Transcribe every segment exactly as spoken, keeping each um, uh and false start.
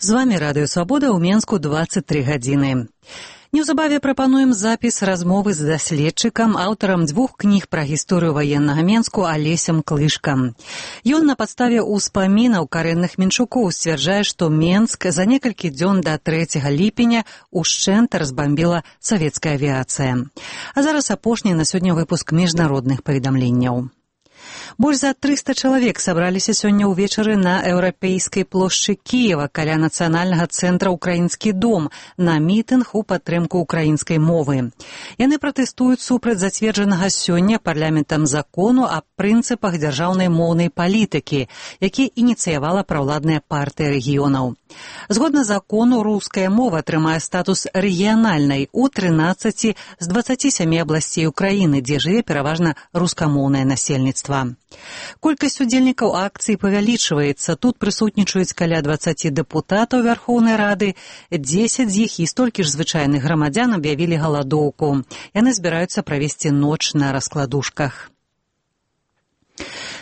З вами Радыё Свабода ў Менску дваццаць тры гадзіны. Неўзабаве прапануем запіс размовы з даследчыкам, аўтарам дзвюх кніг пра гісторыю ваеннага Менску Алесем Клышкам. Ён на падставе ўспамінаў карэнных менчукоў сцвярджае, што Менск за некалькі дзён да трэцяга ліпеня ушчэнт разбамбіла савецкая авіяцыя. А зараз апошні на сёння выпуск міжнародных паведамленняў. Больш за трыста чалавек сабраліся сёння ўвечары на еўрапейскай плошчы Кіева каля нацыянальнага цэнтра «Украінскі дом» на мітынг у падтрымку украінскай мовы. Яны пратэстуюць супраць зацверджанага сёння парламентам закону аб прынцыпах дзяржаўнай моўнай палітыкі, які ініцыявала праўладная партыя рэгіёнаў. Згодна закону, руская мова атрымае статус рэгіянальнай у трынаццаці з дваццаці сямі абласцей Украіны, дзе жыве пераважна рускамоўнае насельніцтва. Колькасць удзельнікаў акцыі павялічваецца. Тут прысутнічаюць каля дваццаці дэпутатаў Вярхоўнай Рады, дзесяць з іх і столькі ж звычайных грамадзян аб'явілі галадоўку. Яны збіраюцца правесці ноч на раскладушках.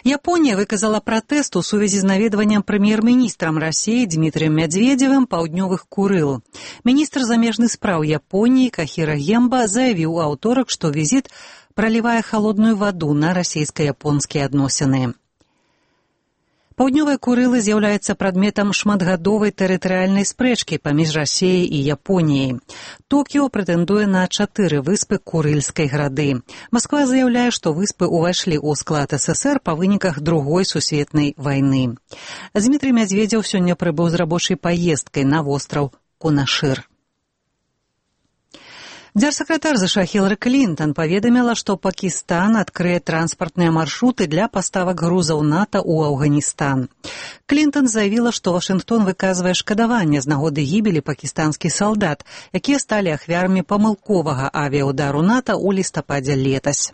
Японія выказала пратэст у сувязі з наведваннем прэм'ер-міністрам Расіі Дмітрыем Мядзведзевым паўднёвых Курыл. Міністр замежных спраў Японіі Кахіра Гемба заявіў у аўторак, што візіт пролівае халодную ваду на расійска-японскія адносіны. Паўднёвыя Курылы з'яўляецца прадметам шматгадовай тэрытарыяльнай спрэчкі паміж Расіяй і Японіяй. Токіо прэтэндуе на чатыры выспы Курыльскай грады. Масква заяўляе, што выспы ўвайшлі ў склад СССР па выніках другой сусветнай вайны. Дмітрый Мядзведзеў сёння прыбыў з рабочай паездкай на востраў Кунашыр. Дзяржсакратар ЗША Хілары Клінтон паведаміла, што Пакістан адкрые транспартныя маршруты для паставак грузаў НАТО ў Афганістан. Клінтон заявіла, што Вашынгтон выказвае шкадаванне з нагоды гібелі пакістанскіх салдат, якія сталі ахвярамі памылковага авіаудару НАТО ў лістападзе летась.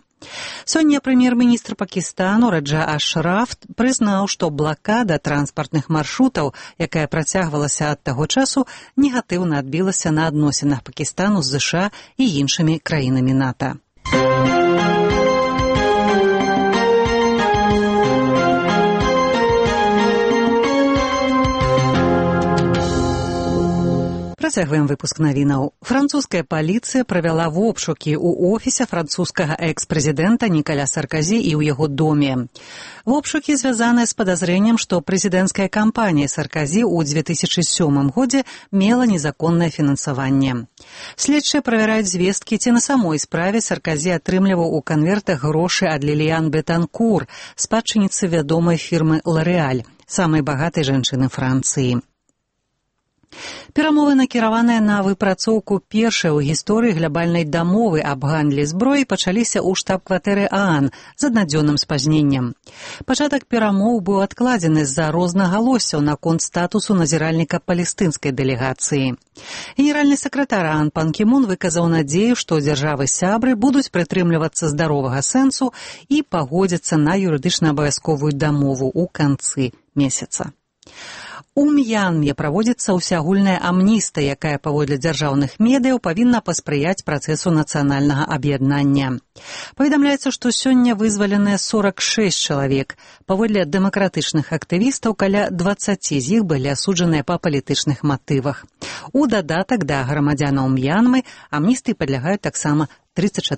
Сёння прэм'ер-міністр Пакістану Раджа Ашраф прызнаў, што блакада транспартных маршрутаў, якая працягвалася ад таго часу, негатыўна адбілася на адносінах Пакістану з ЗША і іншымі краінамі НАТО. Працягваем выпуск навінаў. Французская паліцыя правяла вобшукі ў офісе французскага экс-прэзідэнта Нікаля Сарказі і ў яго доме. Вобшукі звязаныя з падазрэннем, што прэзідэнцкая кампанія Сарказі ў дзве тысячы сёмым годзе мела незаконнае фінансаванне. Следчыя правяраюць звесткі, ці на самой справе Сарказі атрымліваў у канвертах грошы ад Ліліян Бетанкур, спадчыніцы вядомай фірмы «Лореаль», самай багатай жанчыны Францыі. Перамовы, накіраваныя на выпрацоўку першай у гісторыі глябальнай дамовы аб гандлі зброі, пачаліся ў штаб-кватэры ААН з аднадзённым спазненнем. Пачатак перамоў быў адкладзены з-за рознагалоссяў наконт статусу назіральніка палестынскай дэлегацыі. Генеральны сакратар ААН Пан Кі Мун выказаў надзею, што дзяржавы-сябры будуць прытрымлівацца здаровага сэнсу і пагодзяцца на юрыдычна абавязковую дамову ў канцы месяца. У М'янме праводзіцца ўсеагульная амністыя, якая паводле дзяржаўных медыяў павінна паспрыяць працэсу нацыянальнага аб'яднання. Паведамляецца, што сёння вызваленыя сорак шэсць чалавек. Паводле дэмакратычных актывістаў каля дваццаці з іх былі асуджаныя па палітычных матывах. У дадатак да грамадзянаў М'янмы амністыі падлягаюць таксама трыццаць